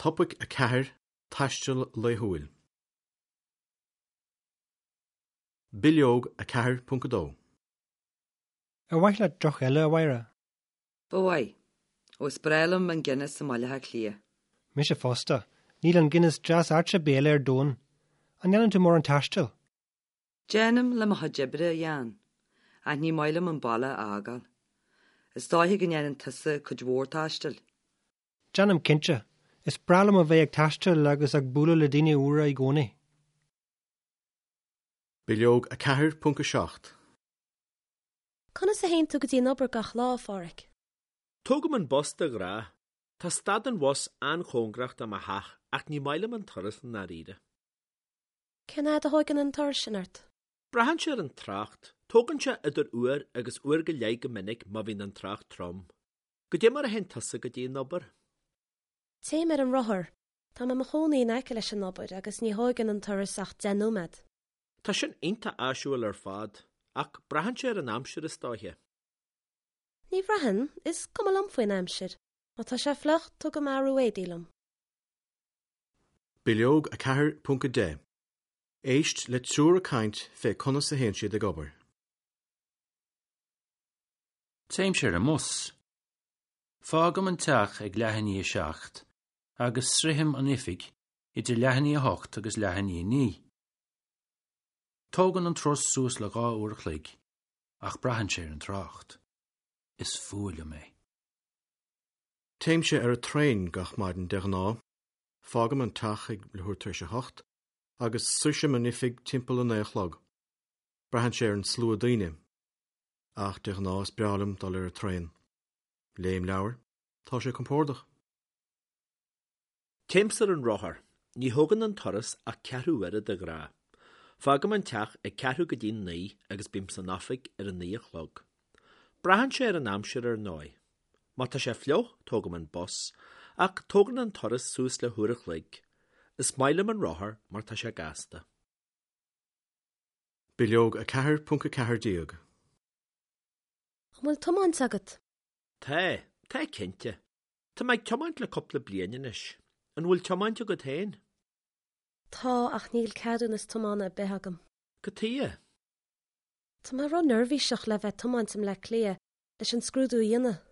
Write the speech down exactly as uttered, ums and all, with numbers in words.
Topaic a ceathair, Taisteal laethúil. Bileog a ceathair ponc a dó. Ar mhaith leat deoch eile, a Mháire? Ba mhaith. Ó is breá liom an Guinness i mBaile Átha Cliath. Mise fosta. Níl an Guinness deas ait ar bith eile ar domhan. An ndéanann tú mórán taistil? Déanaim le mo chuid oibre, a Sheáin, ach ní maith liom an baile a fhágáil. Is dóiche go ndéanann tusa cuid mhór taistil. Déanaim cinnte. Is breá liom a bheith ag taisteal agus ag bualadh le daoine úra i gcónaí. Bileog a ceathair ponc a seacht. Conas a théann tú go dtí an obair gach lá, a Pháraic? Tógaim an bus de ghnáth. Tá stad an bhus an-chóngarach do mo theach ach ní maith liom an turas i ndáiríre. Cén fhad a thógann an turas sin ort? Braitheann sé ar an trácht. Tógann sé idir uair agus uair go leith go minic má bhíonn an trácht trom. Goidé mar a théann tusa go dtí an obair? Téim ar an rothar. Tá mé i mo chónaí in aice leis an obair agus ní thógann an turas ach deich nóiméad. Tá sin iontach áisiúil ar fad, ach braitheann sé ar an aimsir is dóiche. Ní bhraitheann, is cuma liom faoin aimsir. Má tá sé fliuch, tugaim athrú éadaí liom. Bileog a ceathair ponc a deich. Éist le triúr ag caint fé conas a théann siad ag obair. Téimse ar an mbus. Fágaim an teach ag leath i ndiaidh a seacht agus sroichim an oifig idir leath i ndiaidh a hocht agus leath i ndiaidh a naoi. Tógann an turas suas le dhá uair a chloig, ach braitheann sé ar an trácht. Is fuath liom é. Téimse ar an traein gach maidin de ghnáth. Fágaim an teach ag leathuair tar éis a hocht agus sroichim an oifig timpeall a naoi a chlog. Braitheann sé ar an slua daoine. Ach de ghnáth is breá liom dul ar an traein. Léim leabhar, tá sé compordach. Téimse ar an rothar. Ní thógann an turas ach ceathrú uaire de ghnáth. Fágaim an teach ag ceathrú go dtí naoi agus bím san oifig ar a naoi a chlog. Braitheann sé ar an aimsir ar ndóigh. Má tá sé fliuch, tógaim an bus, ach tógann an turas suas le huair a chloig. Is maith liom an rothar mar tá sé gasta. Bileog a ceathair ponc a ceathair déag. An bhfuil tiomáint agat? Tá, tá cinnte. Tá mé ag tiomáint le cúpla bliain anois. An bhfuil tiomáint agat féin? Tá, ach níl ceadúnas tiomána ar bith agam. Cad chuige? Tá mé ró-neirbhíseach le bheith ag tiomáint i mBleá Cliath leis an scrúdú a dhéanamh.